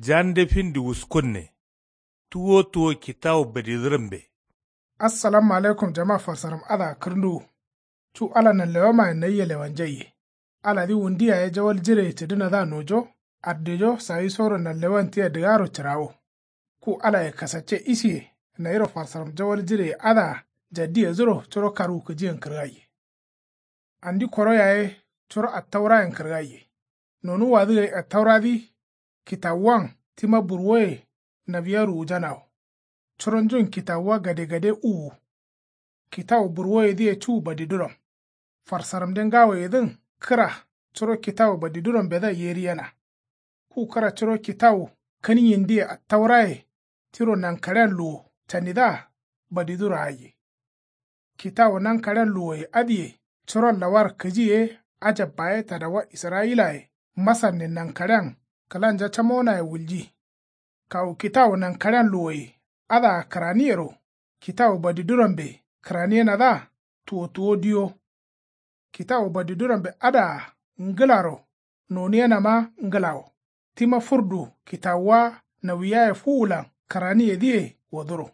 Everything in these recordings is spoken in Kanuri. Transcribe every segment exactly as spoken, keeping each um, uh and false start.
Jande findi wuskunne. Tuwo tuwo kitawu badidǝrambe. Assalamu alaikum jama farsaram adǝa kǝrnduwu. Cu ala nanlewamayen nayia lewanjaiye. Aladǝ wundi yaye jawal jireye cǝdǝnadǝa nojo. Addijo sawisoro nanlewan tia dǝgaro cǝrawo. Ku alaye kasacce isiye nayiro farsaram jawal jireye adǝa jaddiyedǝro curo karwu kǝjiyen kǝrgaiye. Andi koro yaye curo attaurayen kǝrgaiye. Nonuwwadǝ gai attauradǝ kitawuwan tima burwoye nawiya ruwujanawo. Curonjun kitawuwa gadegade uwu. Kitawu burwoyedǝye cu badiduram. Farsaramde ngawoyedǝn kǝra curo kitawu badidurambedǝa yeriyena. Ku kǝra curo kitawu kǝniyindǝye attauraye tiro nankaɍean luwo canidǝa badiduro aiye. Kitawu nankaɍean luwoye adǝye curon lawar kǝji ye ajabba ye tadawa israyilaye masarne nankaɍean kǝlanja camonaye wulji. Kawu kitawu nankaɍean luwoye adǝa kǝraniyero kitawu badidurambe kǝraniyenadǝa tuwo tuwo diyo. Kitawu badidurambe adǝa ngǝlaro noniyenama ngǝlawo. Tima furdu kitawuwa nawiyaye fuwulan kǝraniyedǝye woduro.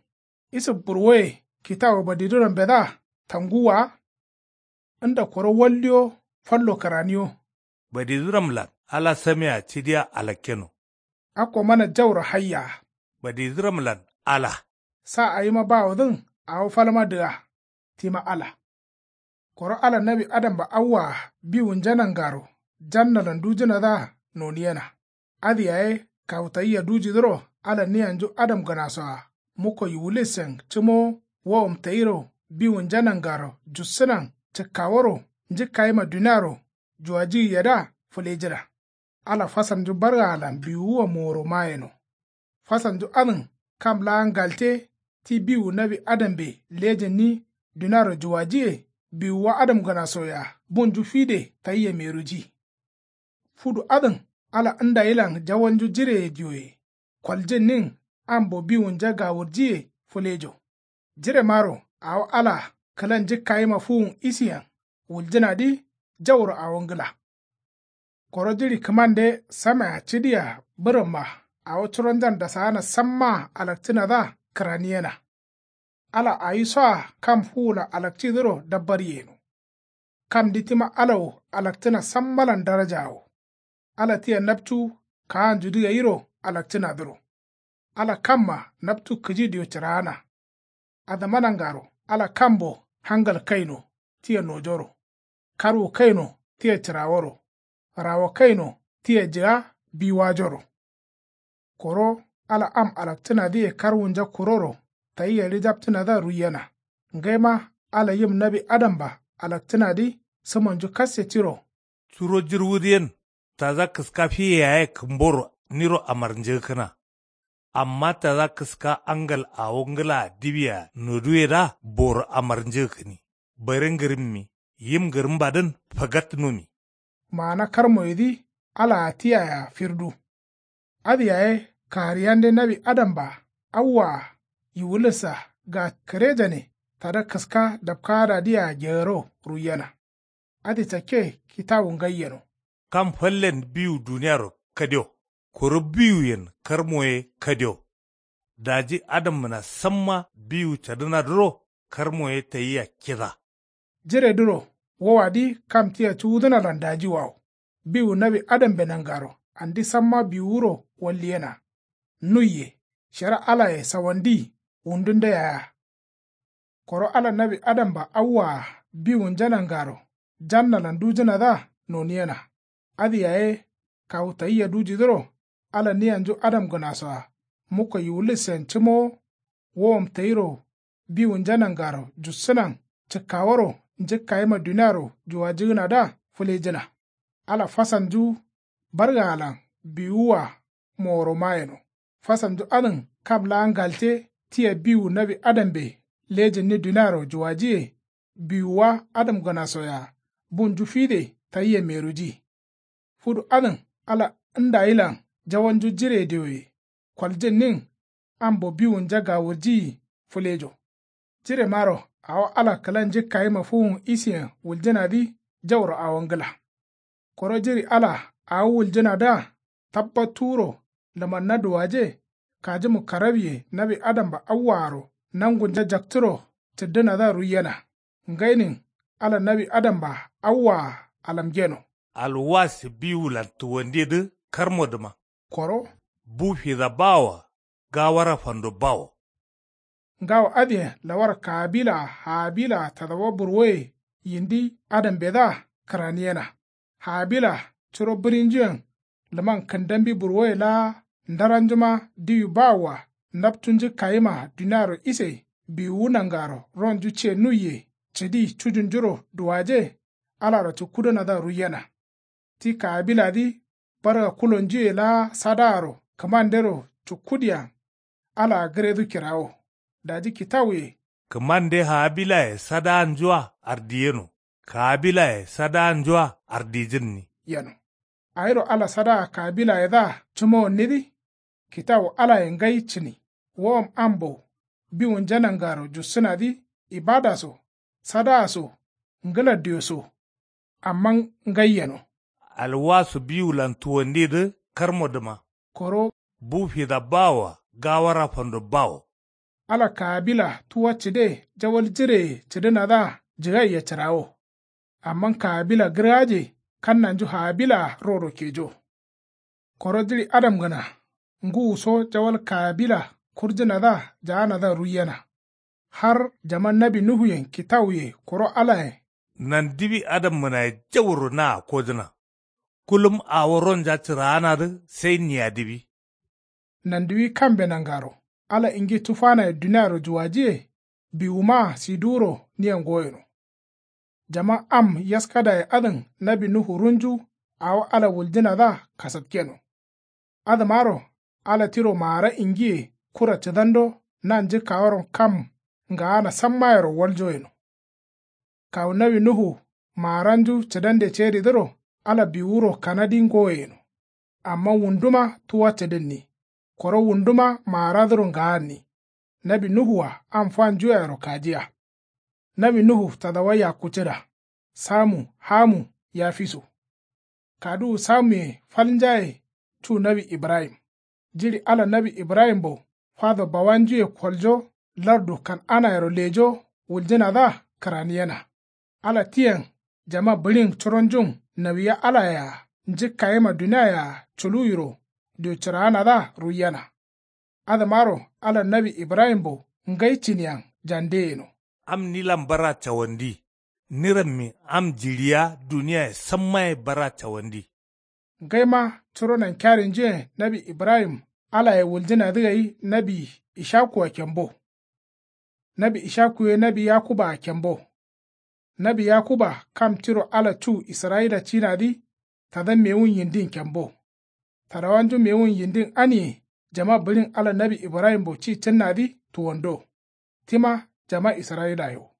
Isǝf burwoye kitawu badidurambedaa tanguwwa wa. Nda koro waldiyo fallo kǝraniyo. Badiduramlan ala samea cidiya alakkeno. Akko mana jauro hayya. Badiduramlan ala. Sa awima bawodǝn awo falma dǝga. Tima ala. Koro ala nawi adamba awwaa biwunja nangaro jannalan dujǝnadǝa noniyena. Adǝ yaye kawu tayia dujidǝro ala niyanju adam gǝnasoa mukko yiwulissen cǝmowo wowom tayiro biwunja nangaro jussǝnan cǝkkaworo njǝkkayima duniaro juwajǝgǝyedǝa fǝlejǝna. Ala fasalnju bargaalan biwuwa moworo mayeno. Fasalnju adǝn kam laa ngalte ti biwu nawi adambe lejǝnni duniaro juwajǝye biwuwa adamgǝnasoyea bunju fide tayia meruji. Fudu adǝn ala ndayilan jawalnju jireye diyoye koljǝnnin ambo biwunja gawurjiye fǝlejo. Jiremaro awo ala kǝla njǝkkayima fuwun isiyen wuljǝnadǝ jauro awo ngǝla. Koro jiɍi kǝmande samea cidiya bǝrǝmma awo curonjan dasaana sammaa alakcǝnadǝa kǝraniyena. Ala awisoa kam fuwulan alakcidǝro dabbar yeno. Kamdǝ tima ala wo alakcǝna sammalan daraja wo. Ala tia napcu kaanjudǝ gairo alakcǝnadǝro. Ala kamma napcu kǝji diyo cǝraana. Adǝma nangaro ala kambo hangal kaino tia nojoro. Karwu kaino tia cǝraworo. Rawo kaino tia jǝga biwajoro. Koro ala am alakcǝnadǝye karwunja kuroro tayia ɍijapcǝnadǝa ruiyena. Ngaima ala yim nawi adamba alakcǝnadǝ sǝmonju kasse tiro. Curo jǝrwudǝ yen tada kǝska fiye yaye kǝmboro niro amarnjǝgǝkkǝna. Amma tada kǝska angal awo ngǝlaa diwia noduwedǝa boro amarnjǝgǝkkǝni. Bare ngǝrǝmmi yim ngǝrǝmbadǝn fagat numi. Maana karmoyedǝ alaa tiyayea firdu. Adǝ yaye kahariyande nawi adamba awwaa yiwulǝssa ga kǝrejane tada kǝska dapkaadadǝyea gearo ruiyena. Adǝ cakke kitawu ngai yeno. Kam fallen biwu duniyaro kadio. Koro biwuyen karmo ye kadio. Daji adamgǝna samma biwu cadǝnadǝro karmo ye tayia kida. Jiredǝro wowadǝ kam tia cuwudǝnalan dajiwawo. Biwu nawi adambe nangaro andi samma biwuwuro walliyena. Nuiye shara alaye sawandi wundunde yaya. Koro ala nawi adamba awwaa biwunja nangaro jannalan dujǝnadǝa noniyena. Adǝ yaye kawu tayia dujidǝro ala niyanju adamgǝnasoa mukko yiwulissen cǝmowo wowom tayiro biwunja nangaro jussǝnan cǝkkaworo njǝkkayima duniaro juwajǝgǝnadǝa fǝlejǝna. Ala fasalnju bargaalan biwuwa moworo mayeno. Fasalnju adǝn kam laa ngalte tia biwu nawi adambe lejǝnni duniaro juwajǝye biwuwa adamgǝnasoyea bunju fide tayia meruji. Fudu adǝn ala ndayilan jawalnju jire dioye koljǝnnin ambo biwunja gawurjiyi fǝlejo. Jiremaro awo ala kǝla njǝkkayima fuwun isiyen wuljǝnadǝ jauro awo ngǝla. Koro jiri ala awo wuljǝnadǝa tabbattuwuro Lǝmanna duwaje. Kajimu karabye nawi adamba awwaaro nangunja jaktǝro cǝddǝnadǝa ruiyena. Ngainin ala nawi adamba awwaa alamgeno. Alwasi biwulan tuwandidǝ karmodǝma. Koro bu fida bawoa gawara fando bawo. Ngawo adǝyen lawar kabilaa habilaa tadawa burwoye yindi adambedǝa kǝraniyena. Habila curo bǝrinjuyen lǝman kǝndambi burwoye laa ndaranjuma diwi bawoa naptunju kayima duniaro ise biwuwu nangaro ronju ce nuiye cǝdi cujunjuro duwaje. Alaro cukkudǝnadǝa ruiyena. Ti kabiladǝ barga kulonjuye laa sadaaro kǝmandero cukkudiyan alaa gǝredu kirawo. Daji kitawuye. Kǝmande habilaye sadaanjua ardiyeno. Kabilaye sadaanjua ardijǝnni yeno. Awiro ala sadaa kabilayedǝa cǝmowannidǝ. Kitawu alaye ngai cǝni. Wowom ambo biwunja nangaro jussǝnadǝ ibada so sadaa so ngǝla diyo so. Amma ngai yeno. Alwasu biwulan tuwandidǝ karmodǝma. Koro bu fida bawoa gawara fando bawo. Ala kaabila tuwa cǝde jawal jireye cǝdǝnadǝa jǝgaiya cǝrawo. Amma kaabila gǝrgaje kannanju haabilaa roro kejo. Koro jiɍi adamgǝna ngǝwuso jawal kaabila kurjǝnadǝa jaanadǝa ruiyena. Har jaman nawi nuhuyen kitawuye koro alayen. Nandiwi adammǝnaye jauro naa kojǝna. Kulum awo ronja cǝraanadǝ sai niyadiwi. Nandiwi kambe nangaro ala ingi tufanaye duniaro juwajiye. Biwumaa siduwuro niyen goyeno. Jaman am yaskadaye adǝn nawi nuhu runju awo ala wuljǝnadǝa kasatkeno. Adǝmaro ala tiro maara ingiye kura cǝdando nanjǝkkaworon kam ngaana sammayero waljoyeno. Kawu nawi nuhu maaranju cǝdande ceridǝro ala biwuro kanadi ngoyeno. Amma wunduma tuwa cǝdǝnni. Koro wunduma maaradǝro ngaanni. Nawi nuhua am fanjuyayero kajiya. Nawi nuhu tadawa yakku cǝda. Samu hamu yafisu. Kaduwu samuye falnjaye cu nawi ibrahim. Jiɍi ala nawi ibrahimbo fado bawanjuye koljo lardu kan'anayero lejo wuljǝnadǝa kǝraniyena. Ala tiyen jama bǝɍin curonjun nawiya alayea njǝkkayima duniayea culuwiro diwcǝraanadǝa ruiyena. Adǝmaro ala nawi ibrahimbo ngai cǝniyen jande yeno. Am nilan bara cawandi. Nirammi am jiɍiya duniyaye sammaye bara cawandi. Ngaima curo nankiyarinjuyen nawi ibrahim alaye wuljǝnadǝ gai nawi ishakua kembo. Nawi ishaku ye nawi yakubaa kembo. Nawi yakuba kam tiro ala cu israyila cinadǝ tada mewun yindin kembo. Tadawanju mewun yindin aniye jama bǝɍin ala nawi ibrahimbo ci cǝnnadǝ tuwando. Tima jama israyilaye wo.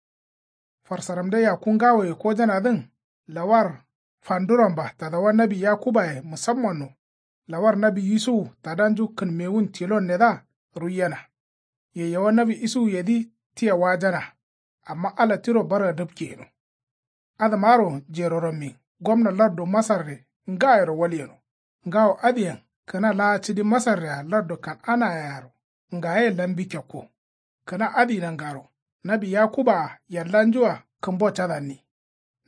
Farsaramde yakku ngawoye kojanadǝn lawar fanduramba tadawa nawi yakubaye musammanno. Lawar nawi isuwu tadanju kǝnmewun tilonnedǝa ruiyena. Yayyawa nawi isuwuyedǝ tia wajana. Amma ala tiro barga dǝpke yeno. Adǝmaro jerorammin gomna lardu masarre ngayero walyeno. Ngawo adǝyen kǝna laa cǝdi masarrea lardu kan'anayearo ngaye lambi kekko. Kǝna adǝ nangaro nawi yakubaa yallanjua kǝmbo cadanni.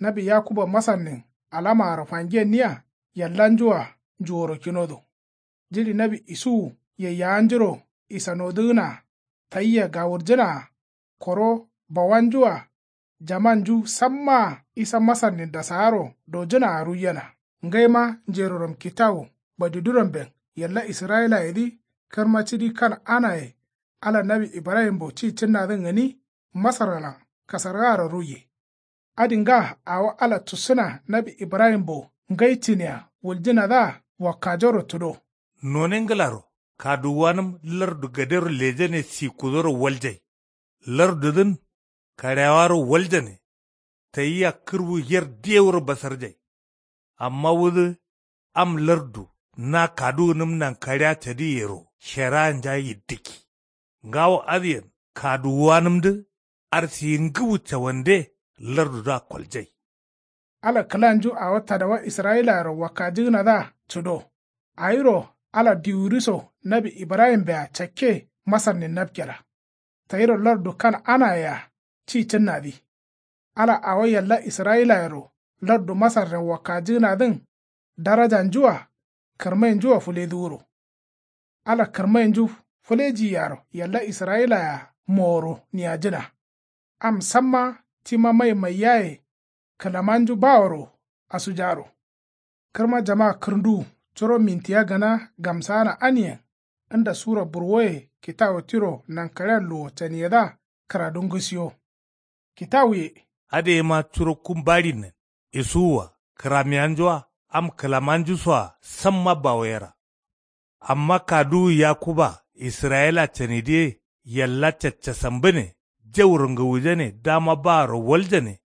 Nawi yakuba masarnin alamaaro fangenniya yallanjua njuworo kinodo. Jiɍi nawi isuwu yayyawanjuro isanodǝgǝnaa tayia gawurjǝnaa koro bawanjua jamanju sammaa isa masarnin dasaaro dojǝnaa ruiyena. Ngaima njeroram kitawu badiduramben yalla israyilayedǝ kǝrma cǝdi kan'anaye ala nawi ibrahimbo ci cǝnnadǝn gǝni masargalan kasargaaro ruiye. Adǝ nga awo ala tussǝna nawi ibrahimbo ngai cǝnia wuljǝnadǝa wakkajoro tǝdo. None ngǝlaro kaduwuwanǝm lardu gadero lejane sikkudoro waljai. Lardudǝn kaɍeawaro waljane. Tayia kǝrwu yer diyewuro basarjai. Amma wudǝ am lardu na kaduwunǝm nankaɍea cadiyyero sheraanja yiddǝkki. Ngawo adǝyen kaduwuwanǝmdǝ arsiyi ngǝwu cawande lardudǝa koljai. Ala kǝlanju awo tadawa israyilayero wakkajǝgǝnadǝa cǝdo. Awiro Ala diwuriso nawi ibrahimbeya cakke masarnin napkera. Tayiro lardu kan'anayea ci cǝnnadǝ. Ala awo yalla israyilayero lardu masarren wakkajǝgǝnadǝn darajanjua kǝrmainjua fǝleduwuro. Ala kǝrmainju fǝlejiyaro yalla israyilayea moworo niyajǝna. Am samma tima mai maiyaye kǝlamanju baworo asujaro. Kǝrma jama kǝrnduwu curo mintiya gana gamsaana aniyen nda sura burwoye kitawu tiro nankaɍen luwo caniyedǝa kǝradu ngǝsiyo. Kitawuye. Adǝ yema curo kum baɍinnen isuwua kǝramiyanjua am kǝlamanjusoa samma bawoyera. Amma kaduwu yakuba israyila canidǝye yalla caccasambǝne jauro ngǝwujane dama baaro waljane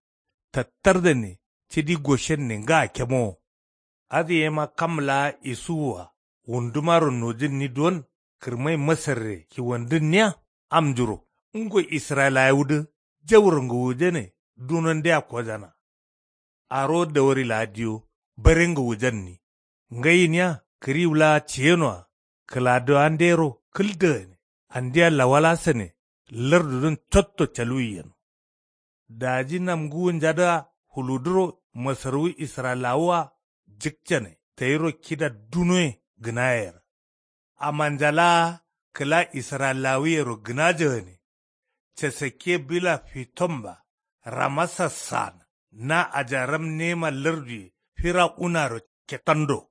tattardane cidi goshenne nga kemowo. Adǝ yema kam laa isuwua wundumaro nojǝnni duwon kǝrmai masarre kiwandǝnniya amnjuro ngo israyilawudǝ jauro ngǝwujane dunondea kojana. Arowo dawari laa diyo bare ngǝwujanni. Ngai gǝniya kǝriwu laa ciyenoa kǝladowandero kǝldagane andia lawalasane lardudǝn cotto caluwi yeno. Daji nam ngǝwunjadǝa fuludǝro masarwu israyilawua jǝkcane tayiro kida dunoye gǝnayera. Amanja laa kǝla israyilawuyero gǝnajagane. Casakke bila fitomba ramasa saana na ajaram nema larduye firawunaro ketando.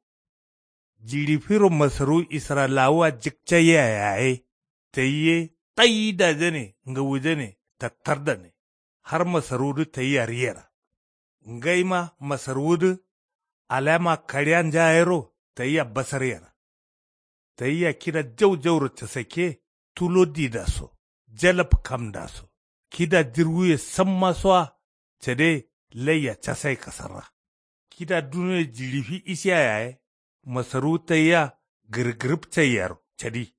Jiɍi firo masarwu israyilawua jǝkcaiyea yaye tayi ye taidajane ngǝwujane tattardane har masarwudǝ tayia riyera. Ngaima masarwudǝ alama kaɍiyanja yero tayia basaryera. Tayia kida jau jauro casakke tulo didaso jalab kamdaso kida jirwuye sammasoa cade laiya casai kasarra. Kida dunoye jiɍi fi isiya yaye masarwu tayia gǝrgǝrǝb caiyaro cadi.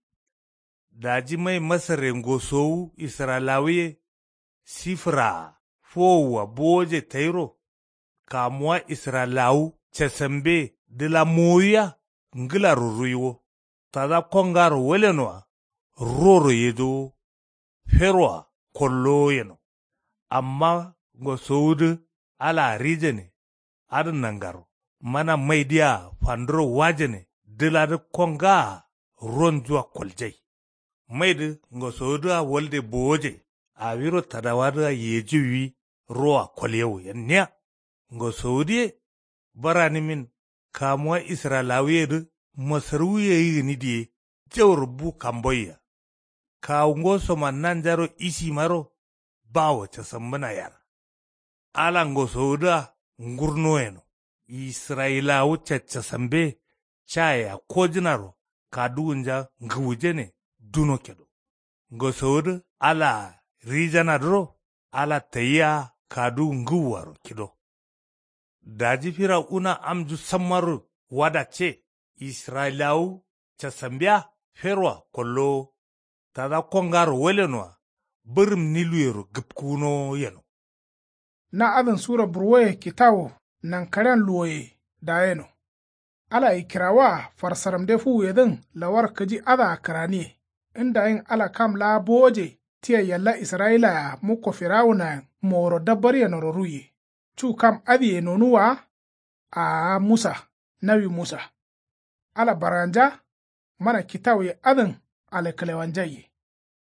Daji mai masarre ngosowu israyilawuye sifǝraa fowowua bowoje tayiro kamuwa israyilawu casambe dǝla mowowiya ngǝlaro ruiwo tada kongaro walenoa ruworo yejowo feroa kollowo yeno. Amma ngosowudǝ alaa rijane adǝ nangaro mana maidǝa fanduro wajane dǝladǝ kongaa ronjua koljai. Maidǝ ngosowudǝa walde bowoje awiro tadawadǝa yejiwwi roa kolyewo yenniya. Ngosowudǝ ye baranǝmin kamuwa israyilawuyedǝ masarwuye yi gǝni diye jauro bu kamboiya. Kawu ngosoma nanjaro isimaro bawo casambǝna yar. Ala ngosowudǝa ngurno yeno israyilawu caccasambe cayea kojǝnaro kaduwunja ngǝwujane duno kedo. Ngosowudǝ alaa rijanadǝro ala tayia kaduwu ngǝwuaro kido. Daji firawuna amnju sammaro wadacce israyilawu casambea feroa kollowo tada kongaro walenoa bǝrǝm niluyero gǝpkuwunowo yeno. Na adǝn sura burwoye kitawu nankaɍen luwoye dayeno. Ala ikkirawoa farsaramde fuwuyedǝn lawar kǝji adǝa kǝraniye ndayin ala kam laa bowoje tia yalla israyilayea mukko firawunayen moworo dabbar yenoro ruiye. Cu kam adǝye nonuwwa wa? Aa musa nawi musa. Ala barganja mana kitawuye adǝn alǝkkǝlewanjaiye.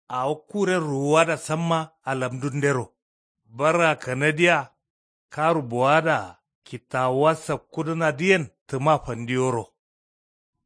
Awo kuren ruwuwada samma alamdundero barga kanadiya karu bowadaa kitawuwa sakkudǝnadǝyen tǝma fandiyoro.